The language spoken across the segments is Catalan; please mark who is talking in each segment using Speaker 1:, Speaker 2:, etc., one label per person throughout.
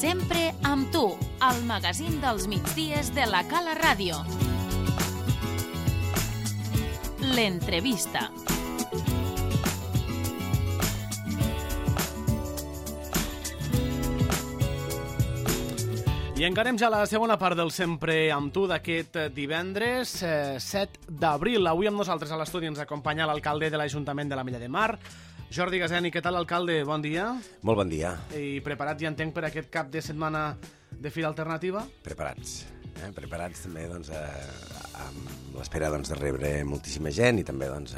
Speaker 1: Sempre amb tu, al magazín dels migdies de la Cala Ràdio. L'entrevista.
Speaker 2: I encarem ja la segona part del Sempre amb tu d'aquest divendres 7 d'abril. Avui amb nosaltres a l'estudi ens acompanya l'alcalde de l'Ajuntament de l'Ametlla de Mar, Jordi Gaseni. Què tal, alcalde? Bon dia.
Speaker 3: Molt bon dia.
Speaker 2: I preparat, ja entenc, per aquest cap de setmana de Fira Alternativa?
Speaker 3: Preparats. Preparats també doncs, amb l'espera doncs, de rebre moltíssima gent i també doncs,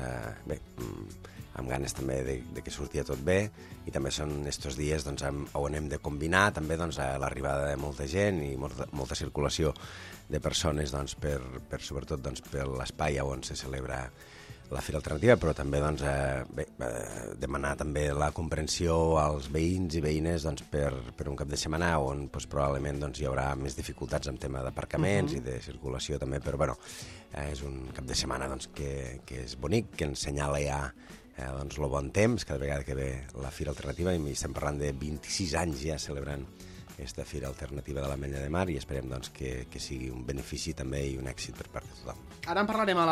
Speaker 3: amb ganes també de que sortia tot bé, i també són estos dies doncs, on hem de combinar també doncs, l'arribada de molta gent i molta circulació de persones doncs, sobretot doncs, per l'espai on se celebra la Fira Alternativa, però també doncs, demanar també la comprensió als veïns i veïnes doncs, per un cap de setmana on doncs, probablement doncs, hi haurà més dificultats en tema d'aparcaments i de circulació també, però bueno, és un cap de setmana doncs, que és bonic, que ens senyala ja doncs, el bon temps, cada vegada que ve la Fira Alternativa, i estem parlant de 26 anys ja celebrant aquesta Fira Alternativa de l'Ametlla de Mar, i esperem doncs, que sigui un benefici també i un èxit per part de tothom.
Speaker 2: Ara en parlarem a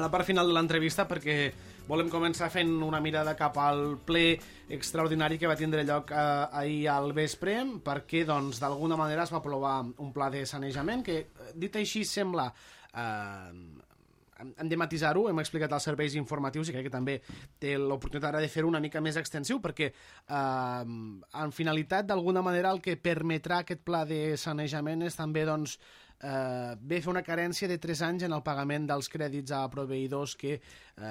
Speaker 2: la part final de l'entrevista, perquè volem començar fent una mirada cap al ple extraordinari que va tindre lloc ahir al vespre, perquè doncs, d'alguna manera es va aprovar un pla de sanejament que, dit així, sembla... hem de matisar-ho, hem explicat els serveis informatius i crec que també té l'oportunitat ara de fer-ho una mica més extensiu, perquè en finalitat, d'alguna manera, el que permetrà aquest pla de sanejament és també doncs, ve fer una carència de 3 anys en el pagament dels crèdits a proveïdors que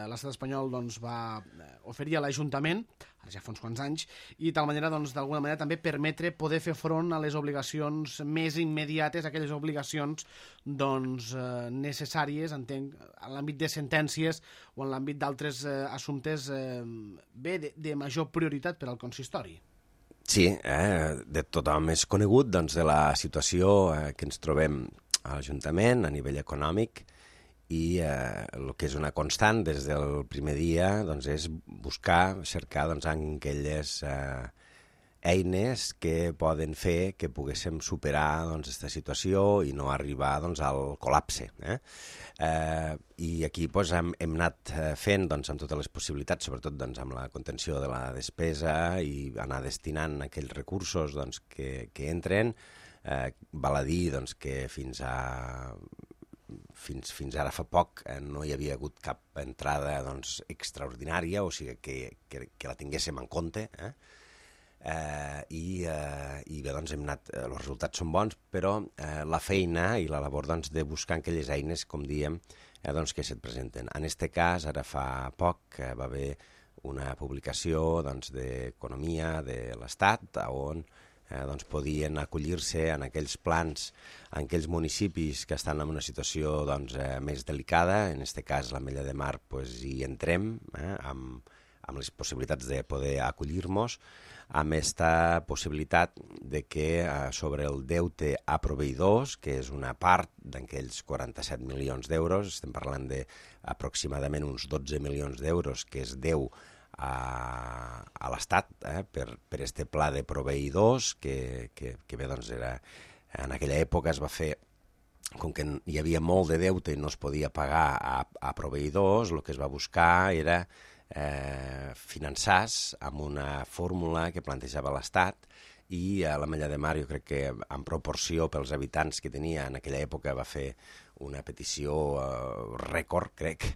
Speaker 2: l'estat espanyol doncs, va oferir a l'Ajuntament, ja fa uns quants anys, i de tal manera, doncs, d'alguna manera, també permetre poder fer front a les obligacions més immediates, aquelles obligacions doncs, necessàries, entenc, en l'àmbit de sentències o en l'àmbit d'altres assumptes de major prioritat per al consistori.
Speaker 3: Sí, de tothom és conegut doncs, de la situació que ens trobem a l'Ajuntament a nivell econòmic, i el que és una constant des del primer dia doncs, és cercar doncs, aquelles eines que poden fer que poguéssim superar aquesta situació i no arribar doncs, al col·lapse. I aquí doncs, hem anat fent doncs, amb totes les possibilitats, sobretot doncs, amb la contenció de la despesa, i anar destinant aquells recursos doncs, que entren. Val a dir doncs, que fins ara fa poc no hi havia hagut cap entrada doncs, extraordinària, o sigui que la tinguéssim en compte, i bé, doncs hem anat, els resultats són bons, però la feina i la labor doncs, de buscar aquelles eines, com diem, doncs, que se't presenten. En aquest cas, ara fa poc, va haver una publicació doncs, d'Economia de l'Estat, on doncs, podien acollir-se en aquells plans, en aquells municipis que estan en una situació doncs, més delicada. En aquest cas, l'Ametlla de Mar, doncs, hi entrem amb les possibilitats de poder acollir-nos, amb aquesta possibilitat de que sobre el deute a proveïdors, que és una part d'aquells 47 milions d'euros, estem parlant d'aproximadament uns 12 milions d'euros que es deu a l'Estat per este pla de proveïdors que bé, doncs era, en aquella època es va fer, com que hi havia molt de deute i no es podia pagar a proveïdors, el que es va buscar era finançar-se amb una fórmula que plantejava l'Estat, i l'Ametlla de Mar, jo crec que en proporció pels habitants que tenia en aquella època, va fer una petició rècord, crec,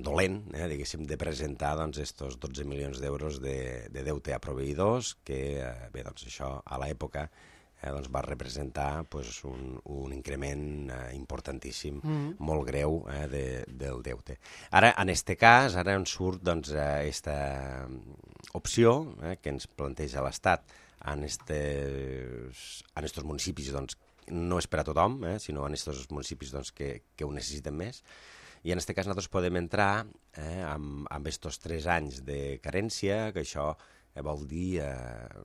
Speaker 3: dolent, diguéssim, de presentar doncs, estos 12 milions d'euros de deute a proveïdors, que bé, doncs, això a l'època doncs, va representar doncs, un increment importantíssim, molt greu del deute. Ara, en aquest cas, ara ens surt doncs, aquesta opció que ens planteja l'Estat en estos municipis, doncs, no és per a tothom, sinó en estos municipis doncs, que ho necessiten més. I en aquest cas nosaltres podem entrar amb estos 3 anys de carència, que això vol dir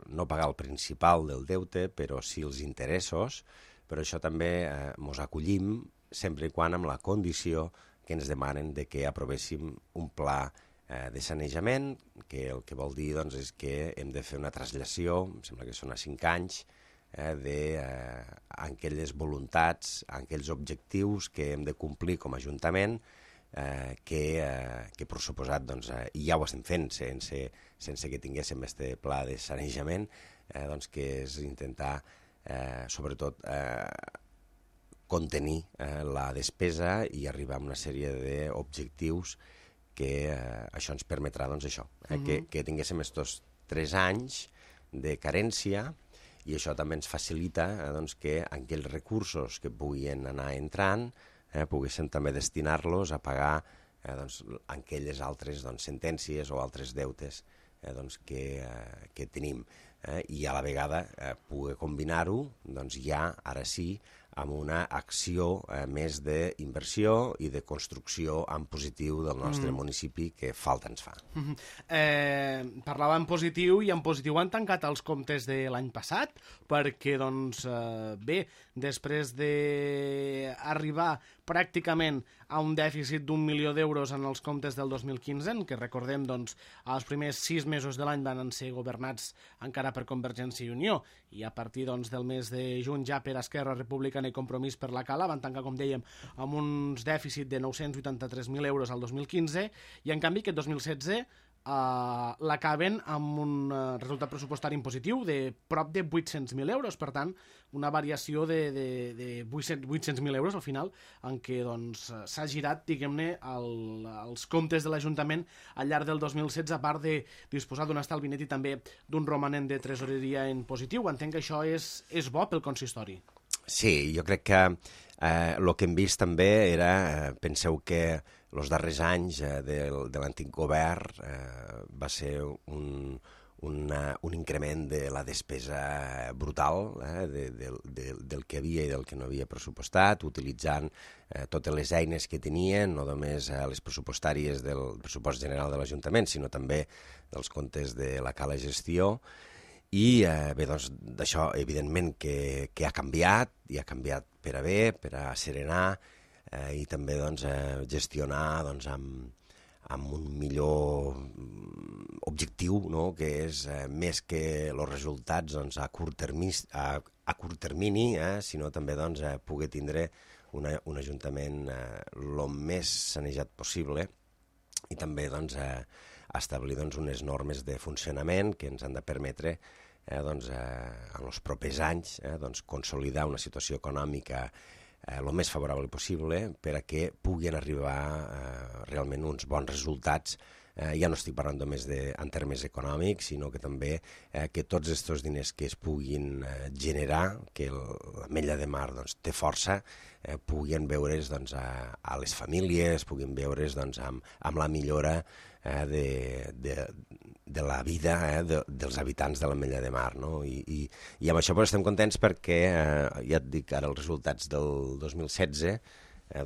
Speaker 3: no pagar el principal del deute, però sí els interessos, però això també ens acollim sempre i quan amb la condició que ens demanen de que aprovéssim un pla de sanejament, que el que vol dir doncs, és que hem de fer una traslació, em sembla que són a 5 anys, d'aquelles voluntats, aquells objectius que hem de complir com a Ajuntament, que per suposat, doncs, i ja ho estem fent sense que tinguéssim este pla de sanejament, doncs, que és intentar, sobretot, contenir la despesa i arribar a una sèrie d'objectius que això ens permetrà, doncs, això, que tinguéssim estos 3 anys de carència, i això també ens facilita doncs, que aquells recursos que puguin anar entrant poguéssim també destinar-los a pagar doncs, aquelles altres doncs, sentències o altres deutes doncs, que tenim. I a la vegada poder combinar-ho doncs, ja, ara sí, amb una acció més d'inversió i de construcció en positiu del nostre municipi que falta ens fa.
Speaker 2: Parlava en positiu, i en positiu han tancat els comptes de l'any passat, perquè, doncs, bé, després d'arribar pràcticament a un dèficit d'1 milió d'euros en els comptes del 2015, en què recordem, doncs, els primers 6 mesos de l'any van ser governats encara per Convergència i Unió, i a partir, doncs, del mes de juny ja per Esquerra Republicana i Compromís per la Cala van tancar, com dèiem, amb uns dèficit de 983.000 euros al 2015, i en canvi aquest 2016 l'acaben amb un resultat pressupostari en positiu de prop de 800.000 euros, per tant, una variació de 800.000 euros al final, en què doncs, s'ha girat, diguem-ne, els comptes de l'Ajuntament al llarg del 2016, a part de disposar d'un estalvi net i també d'un romanent de tresoreria en positiu. Entenc que això és bo pel consistori.
Speaker 3: Sí, jo crec que el que hem vist també era, penseu que els darrers anys de l'antic govern va ser un increment de la despesa brutal del que havia i del que no havia pressupostat, utilitzant totes les eines que tenien, no només les pressupostàries del pressupost general de l'Ajuntament, sinó també dels comptes de la Cala Gestió. I bé, doncs, d'això evidentment que ha canviat, i ha canviat per a bé, per a serenar, i també doncs, gestionar doncs, amb un millor objectiu, no? Que és més que els resultats doncs, a curt termini, sinó també doncs, poder tindre un ajuntament el més sanejat possible, i també doncs, establir doncs, unes normes de funcionament que ens han de permetre doncs, en els propers anys doncs, consolidar una situació econòmica el més favorable possible per a que puguin arribar realment uns bons resultats. Ja no estic parlant només en termes econòmics, sinó que també que tots aquests diners que es puguin generar, que l'Ametlla de Mar doncs, té força, puguin veure's doncs, a les famílies, puguin veure's doncs, amb la millora de la vida dels habitants de l'Ametlla de Mar. No? I amb això doncs, estem contents perquè, ja et dic, ara els resultats del 2016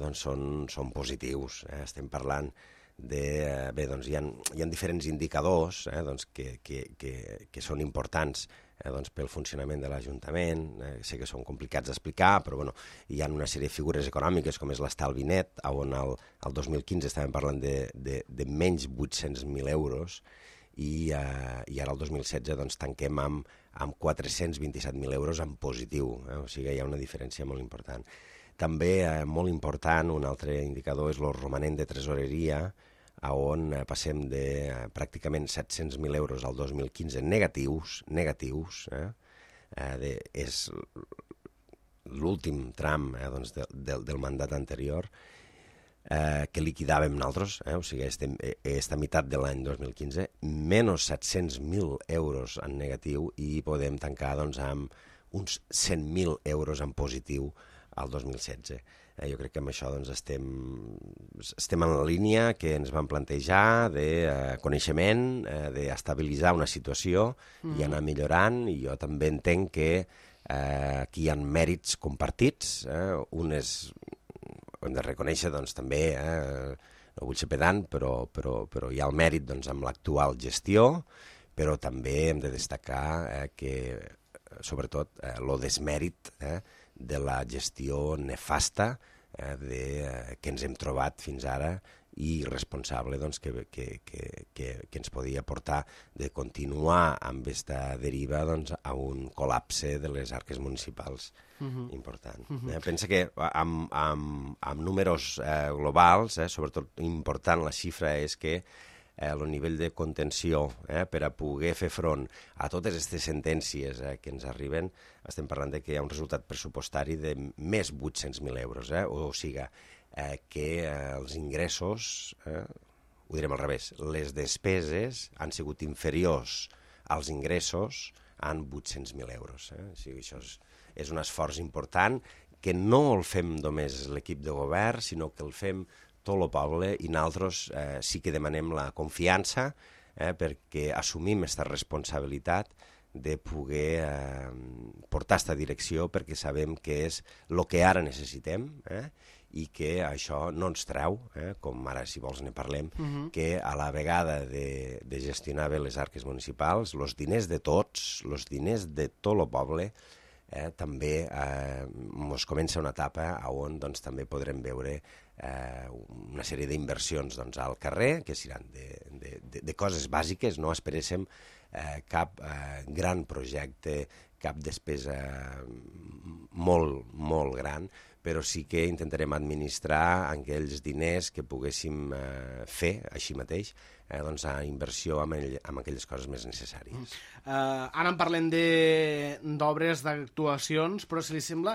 Speaker 3: doncs, són positius. Estem parlant bé, doncs, hi ha diferents indicadors doncs, que són importants doncs, pel funcionament de l'Ajuntament. Sé que són complicats d'explicar, però bueno, hi ha una sèrie de figures econòmiques com és l'estalvi net, on el 2015 estàvem parlant de menys 800.000 euros, i ara el 2016 doncs, tanquem amb 427.000 euros en positiu. O sigui, hi ha una diferència molt important. També molt important, un altre indicador és el romanent de tresoreria, on passem de pràcticament 700.000 euros al 2015 negatius. És l'últim tram doncs, del mandat anterior que liquidàvem nosaltres, o sigui, aquesta meitat de l'any 2015, menys 700.000 euros en negatiu, i podem tancar doncs, amb uns 100.000 euros en positiu al 2016. Jo crec que amb això doncs, estem en la línia que ens vam plantejar de coneixement, d'estabilitzar una situació i anar millorant, i jo també entenc que aquí hi ha mèrits compartits, unes hem de reconèixer doncs, també, no vull ser pedant, però hi ha el mèrit doncs, amb l'actual gestió, però també hem de destacar que, sobretot, el desmèrit de la gestió nefasta que ens hem trobat fins ara i responsable doncs, que ens podia portar de continuar amb aquesta deriva doncs, a un col·lapse de les arques municipals important. Pensa que amb números globals, sobretot important la xifra és que el nivell de contenció per a poder fer front a totes aquestes sentències que ens arriben, estem parlant de que hi ha un resultat pressupostari de més 800.000 euros, o sigui, que els ingressos, ho direm al revés, les despeses han sigut inferiors als ingressos en 800.000 euros. O sigui, això és un esforç important que no el fem només l'equip de govern, sinó que el fem tot el poble i nosaltres sí que demanem la confiança perquè assumim aquesta responsabilitat de poder portar aquesta direcció perquè sabem que és el que ara necessitem i que això no ens treu, com ara si vols ne parlem, que a la vegada de gestionar bé les arques municipals, els diners de tots, els diners de tot el poble, també ens comença una etapa on doncs, també podrem veure una sèrie d'inversions doncs, al carrer, que seran de coses bàsiques, no esperéssim cap gran projecte, cap despesa molt, molt gran, però sí que intentarem administrar aquells diners que poguéssim fer així mateix, doncs a inversió amb aquelles coses més necessàries.
Speaker 2: Ara en parlem d'obres, d'actuacions, però si li sembla,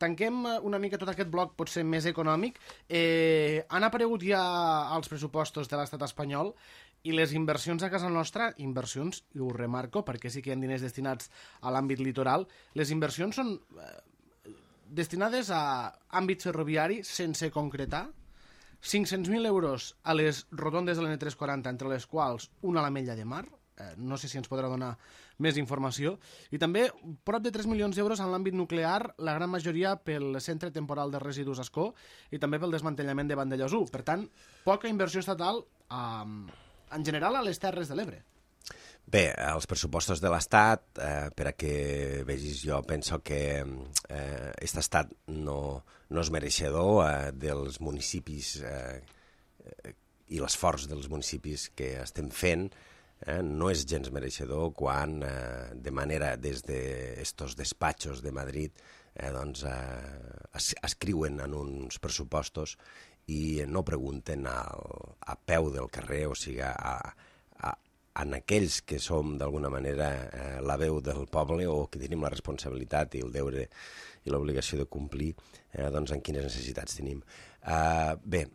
Speaker 2: tanquem una mica tot aquest bloc potser més econòmic. Han aparegut ja els pressupostos de l'estat espanyol i les inversions a casa nostra, inversions, i ho remarco perquè sí que hi ha diners destinats a l'àmbit litoral, les inversions són destinades a àmbit ferroviari sense concretar, 500.000 euros a les rotondes de l'N340, entre les quals una a l'Ametlla de Mar, no sé si ens podrà donar més informació, i també prop de 3 milions d'euros en l'àmbit nuclear, la gran majoria pel Centre Temporal de Residus Ascó i també pel desmantellament de Vandellòs 1. Per tant, poca inversió estatal en general a les Terres de l'Ebre.
Speaker 3: Bé, els pressupostos de l'Estat, per a que vegis, jo penso que aquest estat no és mereixedor dels municipis i l'esforç dels municipis que estem fent, no és gens mereixedor quan de manera des d'estos despatxos de Madrid doncs, escriuen en uns pressupostos i no pregunten a peu del carrer, o sigui, en aquells que som d'alguna manera la veu del poble o que tenim la responsabilitat i el deure i l'obligació de complir, doncs en quines necessitats tenim. Bé,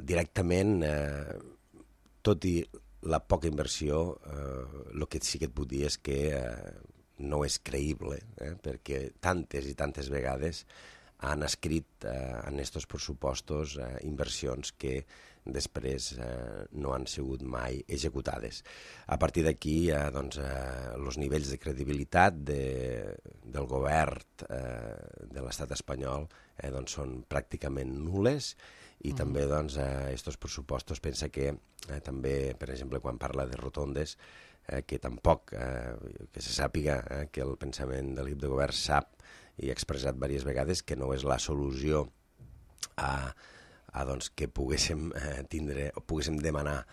Speaker 3: directament, tot i la poca inversió, el que sí que et puc dir és que no és creïble, perquè tantes i tantes vegades han escrit en aquests pressupostos inversions que després no han sigut mai executades. A partir d'aquí, doncs, els nivells de credibilitat del govern de l'estat espanyol doncs, són pràcticament nules i també doncs, aquests pressupostos pensa que també, per exemple, quan parla de rotondes, que tampoc, que se sàpiga que el pensament de l'equip de govern sap i ha expressat diverses vegades que no és la solució doncs, que poguéssim tindre o poguéssim demanar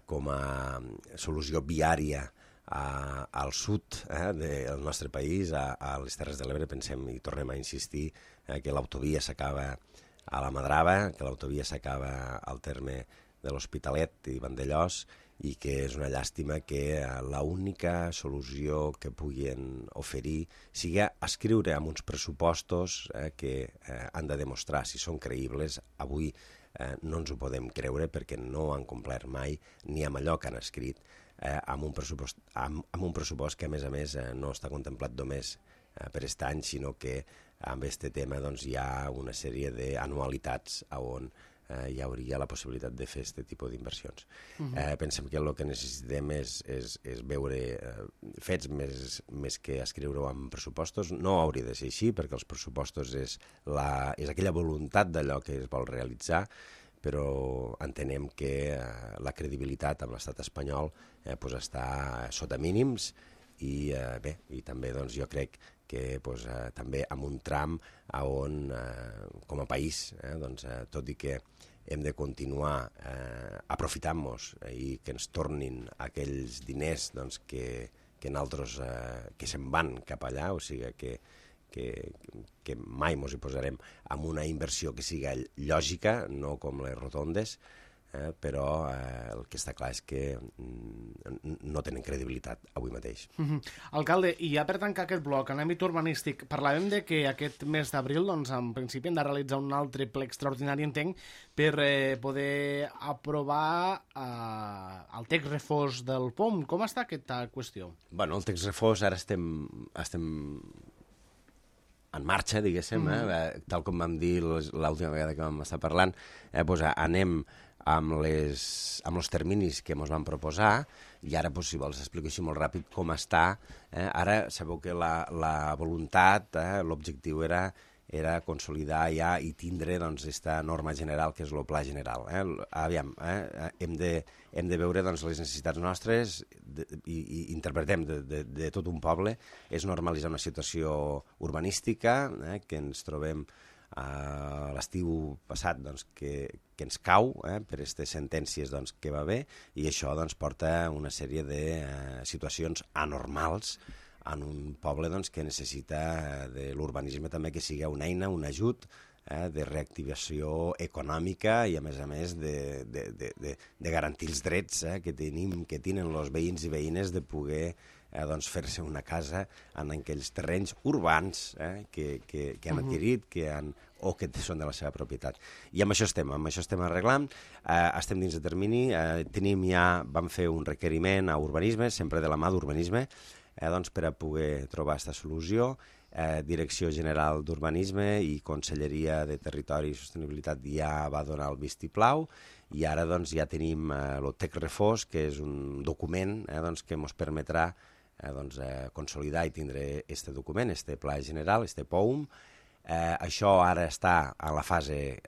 Speaker 3: com a solució viària al sud del nostre país, a les Terres de l'Ebre. Pensem i tornem a insistir que l'autovia s'acaba a la Madrava, que l'autovia s'acaba al terme de l'Hospitalet i Vandellòs, i que és una llàstima que l'única solució que puguin oferir sigui escriure amb uns pressupostos que han de demostrar si són creïbles. Avui no ens ho podem creure perquè no han complert mai ni amb allò que han escrit amb un pressupost que a més no està contemplat només per aquest any, sinó que amb aquest tema doncs, hi ha una sèrie d'anualitats on hi hauria la possibilitat de fer aquest tipus d'inversions. Pensem que el que necessitem és veure fets més que escriure-ho en pressupostos. No hauria de ser així, perquè els pressupostos és aquella voluntat d'allò que es vol realitzar, però entenem que la credibilitat amb l'estat espanyol està sota mínims i bé, i també doncs, jo crec que també amb un tram on, com a país, doncs, tot i que hem de continuar aprofitant-nos i que ens tornin aquells diners doncs, que nosaltres que se'n van cap allà, o sigui que mai ens hi posarem amb una inversió que siga lògica, no com les rotondes, però el que està clar és que no tenen credibilitat avui mateix.
Speaker 2: Alcalde, i ja per tancar aquest bloc, en àmbit urbanístic, parlàvem de que aquest mes d'abril, doncs, en principi, hem de realitzar un altre ple extraordinari, entenc, per poder aprovar el text refós del POM. Com està aquesta qüestió?
Speaker 3: Bueno, el text refós ara estem en marxa, diguéssim, tal com vam dir l'última vegada que vam estar parlant, doncs anem amb els terminis que ens van proposar, i ara, si vols, explico així molt ràpid com està. Ara sabeu que la voluntat, l'objectiu era consolidar ja i tindre aquesta norma general, que és el pla general. Aviam, hem de veure les necessitats nostres i interpretem de tot un poble, és normalitzar una situació urbanística que ens trobem l'estiu passat que ens cau per aquestes sentències que va haver, i això porta una sèrie de situacions anormals en un poble que necessita de l'urbanisme també que sigui una eina, un ajut de reactivació econòmica i a més de garantir els drets que tenen els veïns i veïnes de poder fer-se una casa en aquells terrenys urbans que han adquirit o que són de la seva propietat. I amb això estem arreglant, estem dins de termini, vam fer un requeriment a urbanisme, sempre de la mà d'urbanisme, per a poder trobar aquesta solució. Direcció General d'Urbanisme i Conselleria de Territori i Sostenibilitat ja va donar el vistiplau, i ara ja tenim el text refós, que és un document que ens permetrà consolidar i tindre aquest document, aquest pla general, aquest POUM. Això ara està a la fase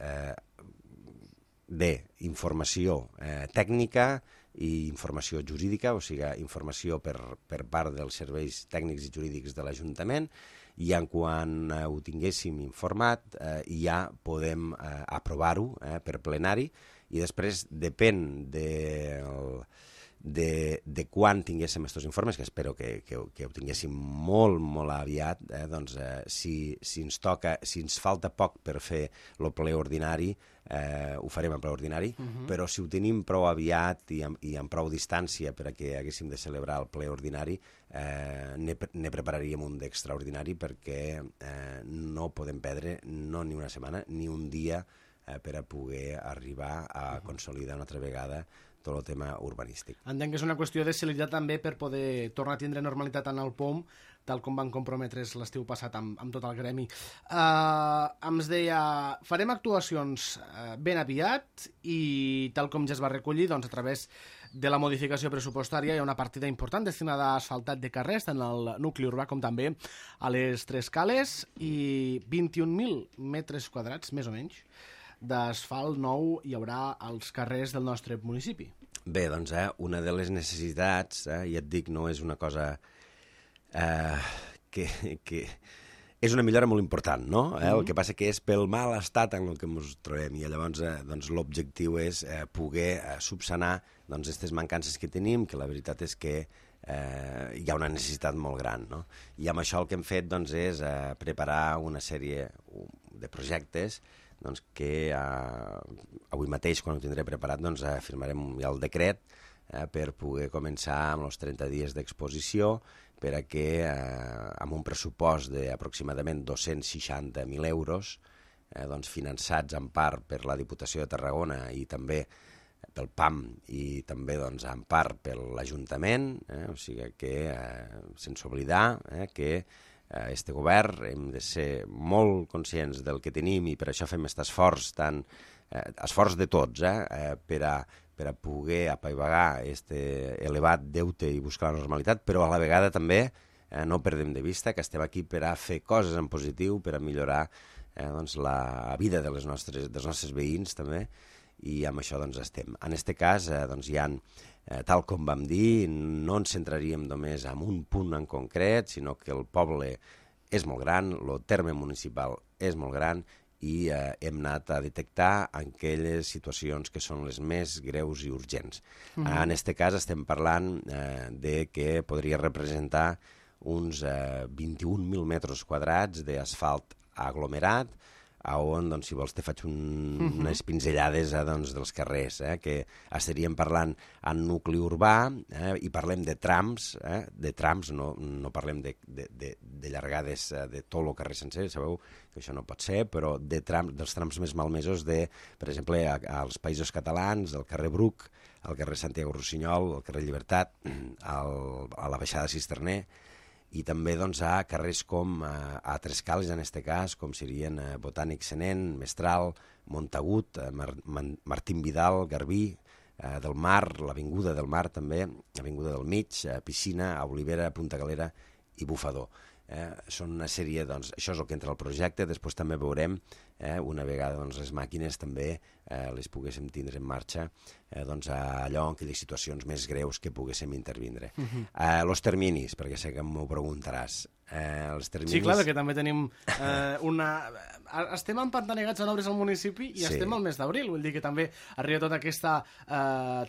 Speaker 3: d'informació tècnica i informació jurídica, o sigui, informació per part dels serveis tècnics i jurídics de l'Ajuntament, i quan ho tinguéssim informat ja podem aprovar-ho per plenari, i després depèn de quan tinguéssim aquests informes, que espero que ho tinguéssim molt, molt aviat, si ens falta poc per fer el ple ordinari, ho farem en ple ordinari, però si ho tenim prou aviat i amb prou distància per a que haguéssim de celebrar el ple ordinari, ne prepararíem un d'extraordinari, perquè no podem perdre ni una setmana ni un dia per a poder arribar a consolidar una altra vegada tot el tema urbanístic.
Speaker 2: Entenc que és una qüestió de celeritat també per poder tornar a tindre normalitat en el POM, tal com van comprometre's l'estiu passat amb tot el gremi. Ens deia, farem actuacions ben aviat, i tal com ja es va recollir, a través de la modificació pressupostària hi ha una partida important destinada a asfaltat de carrers, tant al nucli urbà com també a les tres cales, i 21.000 metres quadrats, més o menys, d'asfalt nou hi haurà als carrers del nostre municipi.
Speaker 3: Bé, doncs, una de les necessitats, ja et dic, no és una cosa que és una millora molt important, no? El que passa que és pel mal estat en el que ens trobem, i llavors l'objectiu és poder subsanar aquestes mancances que tenim, que la veritat és que hi ha una necessitat molt gran, no? I amb això el que hem fet és preparar una sèrie de projectes que avui mateix, quan ho tindré preparat, firmarem ja el decret per poder començar amb els 30 dies d'exposició, per a que amb un pressupost d'aproximadament 260.000 euros, finançats en part per la Diputació de Tarragona i també pel PAM i també en part per l'Ajuntament, o sigui que sense oblidar que este govern hem de ser molt conscients del que tenim, i per això fem aquest esforç, esforç de tots, per a poder apaivagar aquest elevat deute i buscar la normalitat, però a la vegada també no perdem de vista que estem aquí per a fer coses en positiu, per a millorar la vida dels nostres veïns també, i amb això estem. En aquest cas hi ha, tal com vam dir, no ens centraríem només en un punt en concret, sinó que el poble és molt gran, el terme municipal és molt gran, i hem anat a detectar aquelles situacions que són les més greus i urgents. En aquest cas estem parlant de que podria representar uns 21.000 metres quadrats d'asfalt aglomerat, on, doncs, si vols, te faig unes pinzellades dels carrers, que estaríem parlant en nucli urbà, i parlem de trams, no parlem de llargades de tot el carrer sencer, sabeu que això no pot ser, però dels trams més malmesos per exemple, als Països Catalans, al carrer Bruc, al carrer Santiago Rossinyol, al carrer Llibertat, a la baixada Cisterner, i també a carrers com a Trescals, en aquest cas, com serien Botànic Senent, Mestral, Montagut, Martín Vidal, Garbí, del Mar, l'Avinguda del Mar també, l'Avinguda del Mig, Piscina, Olivera, Punta Galera i Bufador. Són una sèrie, això és el que entra al projecte, després també veurem, una vegada les màquines també les poguéssim tindre en marxa, allò en aquelles situacions més greus que poguéssim intervindre. Els terminis, perquè sé que m'ho preguntaràs.
Speaker 2: Sí, clar, que també tenim estem empantanegats en obres al municipi i estem al mes d'abril, vull dir que també arriba tota aquesta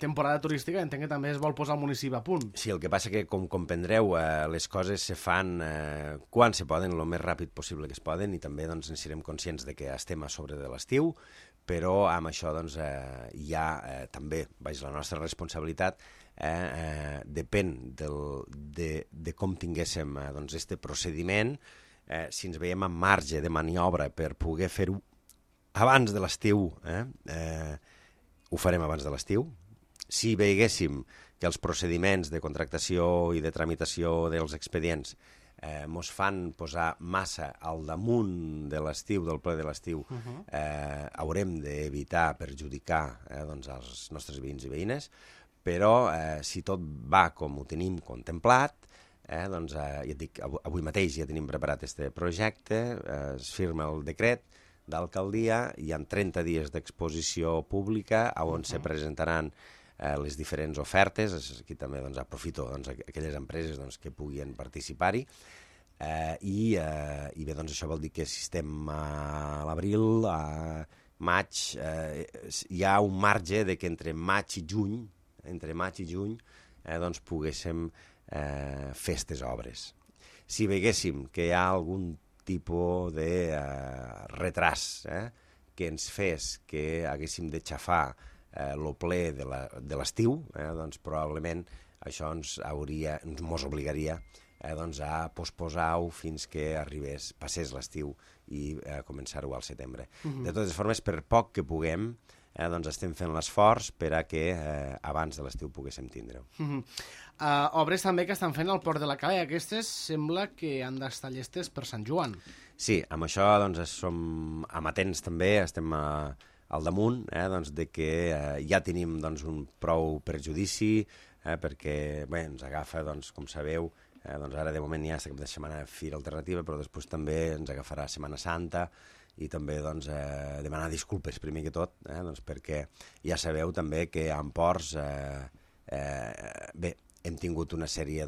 Speaker 2: temporada turística, entenc que també es vol posar el municipi a punt.
Speaker 3: Sí, el que passa que, com comprendreu, les coses se fan quan se poden, el més ràpid possible que es poden, i també en serem conscients de que estem a sobre de l'estiu, però amb això hi ha també, la nostra responsabilitat, depèn de com tinguéssim este procediment, si ens veiem en marge de maniobra per poder fer-ho abans de l'estiu, ho farem abans de l'estiu. Si veiéssim que els procediments de contractació i de tramitació dels expedients mos fan posar massa al damunt de l'estiu, del ple de l'estiu, haurem d'evitar perjudicar els nostres veïns i veïnes, però si tot va com ho tenim contemplat, ja et dic, avui mateix ja tenim preparat aquest projecte, es firma el decret d'alcaldia, hi ha 30 dies d'exposició pública on se presentaran les diferents ofertes. Aquí també aprofito aquelles empreses que puguin participar-hi, i bé, això vol dir que si estem a l'abril, a maig, hi ha un marge de que entre maig i juny poguéssim fer aquestes obres. Si veiéssim que hi ha algun tipus de retras que ens fes que haguéssim de xafar el ple de l'estiu, probablement això ens obligaria a posposar-ho fins que passés l'estiu i començar-ho al setembre. De totes formes, per poc que puguem, estem fent l'esforç per a que abans de l'estiu poguéssim tindre-ho.
Speaker 2: Obres també que estan fent al Port de la Cala, i aquestes sembla que han d'estar llestes per Sant Joan.
Speaker 3: Sí, amb això som amatents també, estem al damunt, de que ja tenim un prou perjudici, perquè ens agafa, com sabeu, ara de moment hi ha aquesta cap de setmana Fira Alternativa, però després també ens agafarà Setmana Santa, i també demanar disculpes primer que tot, perquè ja sabeu també que a Ports hem tingut una sèrie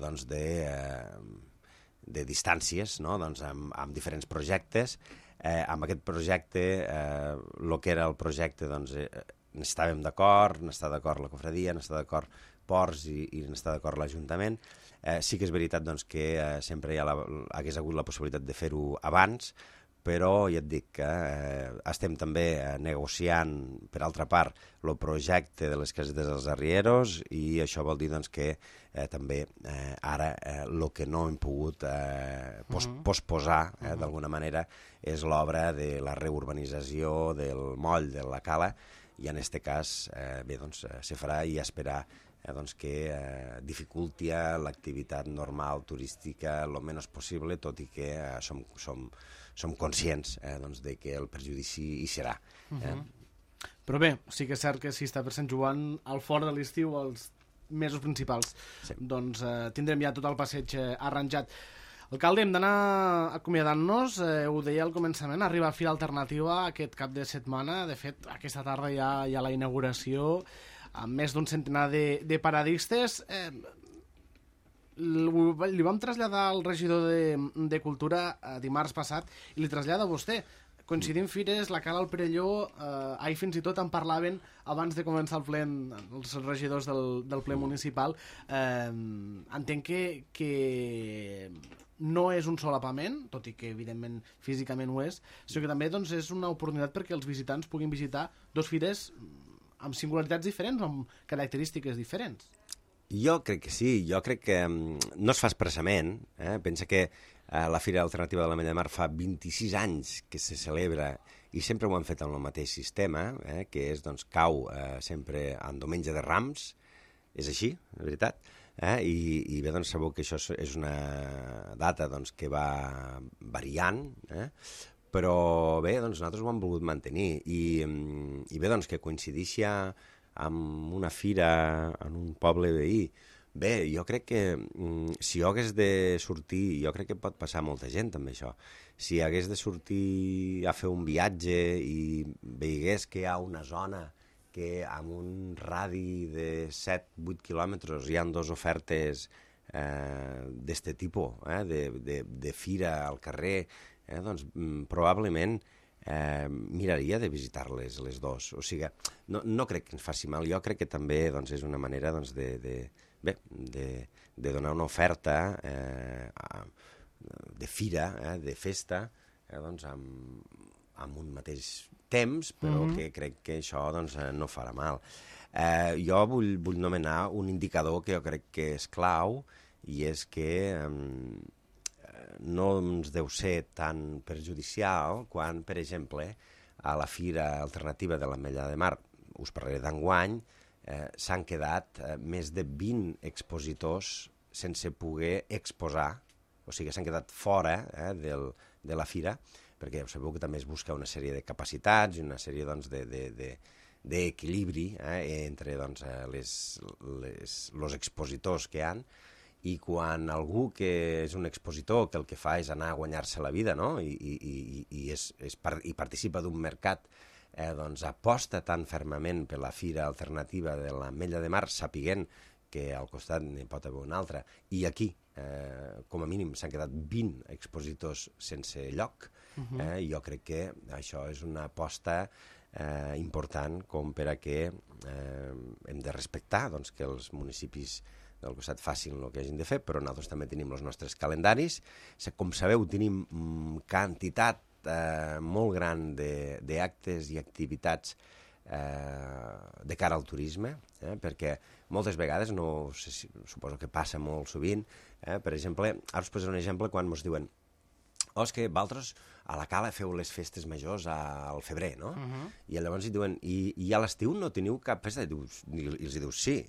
Speaker 3: de distàncies amb diferents projectes. Amb aquest projecte, el que era el projecte, n'estàvem d'acord, n'està d'acord la cofradia, n'està d'acord Ports i n'està d'acord l'Ajuntament. Sí que és veritat que sempre hagués hagut la possibilitat de fer-ho abans, però ja et dic que estem també negociant, per altra part, el projecte de les casetes dels arrieros, i això vol dir que també ara el que no hem pogut posposar d'alguna manera és l'obra de la reurbanització del moll de la Cala, i en aquest cas se farà, i esperar que dificulti l'activitat normal turística el menys possible, tot i que som conscients de que el perjudici hi serà.
Speaker 2: Però bé, sí que és cert que si està per Sant Joan, al fort de l'estiu, els mesos principals, doncs tindrem ja tot el passeig arranjat. Alcalde, hem d'anar acomiadant-nos, ho deia al començament, arriba a Fira Alternativa aquest cap de setmana, de fet aquesta tarda ja hi ha la inauguració, amb més d'un centenar de paradistes. Li vam traslladar al regidor de Cultura dimarts passat i li trasllada a vostè. coincidim fires, la Cala al Perelló, ahir fins i tot en parlaven abans de començar el ple, els regidors del ple municipal. Entenc que no és un solapament, tot i que evidentment físicament ho és, sinó que també doncs, és una oportunitat perquè els visitants puguin visitar dos fires amb singularitats diferents o amb característiques diferents.
Speaker 3: Jo crec que sí, jo crec que no es fa expressament, pensa que la Fira Alternativa de l'Ametlla de Mar fa 26 anys que se celebra i sempre ho han fet amb el mateix sistema, que és, doncs, cau sempre en diumenge de Rams, és així, de veritat, i bé, doncs, sabeu que això és una data doncs, que va variant, però bé, doncs, nosaltres ho hem volgut mantenir, i bé, doncs, que coincideixi amb una fira en un poble veí. Bé, jo crec que si jo hagués de sortir, jo crec que pot passar molta gent també això, si hagués de sortir a fer un viatge i veigués que hi ha una zona que amb un radi de 7-8 quilòmetres hi ha dues ofertes d'este tipus, de fira al carrer, doncs probablement miraria de visitar-les les dos. O sigui, no crec que ens faci mal, jo crec que també doncs, és una manera doncs, de donar una oferta de fira, de festa, doncs, amb un mateix temps, però que crec que això doncs, no farà mal. Jo vull nomenar un indicador que jo crec que és clau, i és que no ens deu ser tan perjudicial quan, per exemple, a la Fira Alternativa de l'Ametlla de Mar, us parlaré d'enguany, s'han quedat més de 20 expositors sense poder exposar, o sigui, s'han quedat fora de la fira, perquè ja sabeu que també es busca una sèrie de capacitats i una sèrie doncs, d'equilibri entre doncs, els expositors que hi ha, i quan algú que és un expositor que el que fa és anar a guanyar-se la vida, no? i participa d'un mercat, doncs aposta tan fermament per la Fira Alternativa de l'Ametlla de Mar, sapiguent que al costat n'hi pot haver una altra, i aquí, com a mínim, s'han quedat 20 expositors sense lloc. Jo crec que això és una aposta important com per a que hem de respectar doncs, que els municipis del costat facin el que hagin de fer, però nosaltres també tenim els nostres calendaris. Com sabeu, tenim quantitat molt gran d'actes i activitats de cara al turisme, perquè moltes vegades, no sé si, suposo que passa molt sovint, per exemple, ara us posaré un exemple quan ens diuen és que vosaltres a la Cala feu les festes majors al febrer, no? I llavors hi diuen, i a l'estiu no teniu cap festa? I els dius, sí,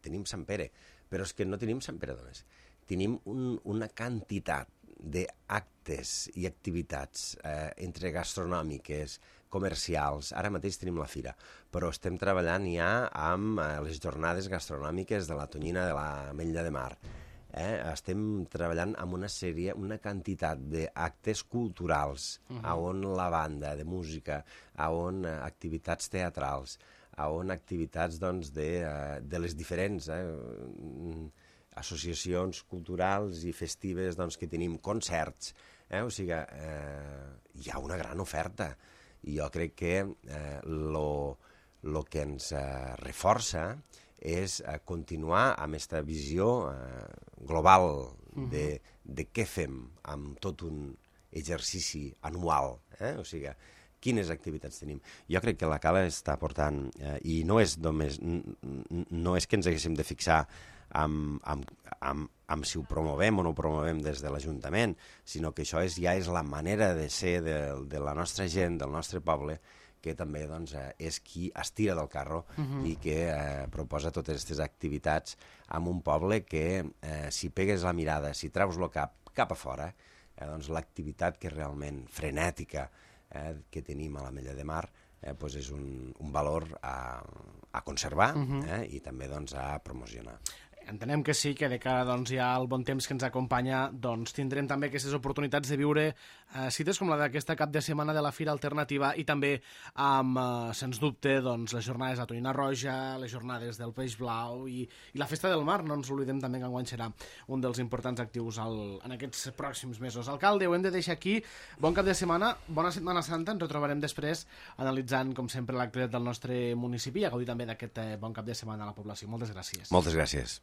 Speaker 3: tenim Sant Pere, però és que no tenim Sant Pere només. Tenim una quantitat d'actes i activitats entre gastronòmiques, comercials. Ara mateix tenim la fira, però estem treballant ja amb les jornades gastronòmiques de la Tonyina de l'Ametlla de Mar. Estem treballant amb una quantitat d'actes culturals, on la banda de música, on activitats teatrals, on activitats doncs, de les diferents associacions culturals i festives doncs, que tenim, concerts. O sigui, hi ha una gran oferta. I jo crec que el que ens reforça és continuar amb aquesta visió global de què fem amb tot un exercici anual. O sigui, quines activitats tenim. Jo crec que la Cala està portant, i no és que ens haguéssim de fixar amb si ho promovem o no ho promovem des de l'Ajuntament, sinó que això ja és la manera de ser de la nostra gent, del nostre poble, que també doncs, és qui es tira del carro i que proposa totes aquestes activitats en un poble que, si pegues la mirada, si treus el cap a fora, doncs l'activitat que és realment frenètica que tenim a l'Ametlla de Mar doncs és un valor a conservar i també doncs, a promocionar.
Speaker 2: entenem que sí, que de cara doncs, ja al bon temps que ens acompanya doncs, tindrem també aquestes oportunitats de viure cites com la d'aquesta cap de setmana de la Fira Alternativa i també amb, sens dubte, doncs, les jornades a Tonyina Roja, les jornades del Peix Blau i la Festa del Mar, no ens oblidem també que enguany serà un dels importants actius en aquests pròxims mesos. Alcalde, ho hem de deixar aquí. Bon cap de setmana, bona Setmana Santa, ens retrobarem després analitzant, com sempre, l'actualitat del nostre municipi i a gaudir també d'aquest bon cap de setmana a la població. Moltes gràcies.
Speaker 3: Moltes gràcies.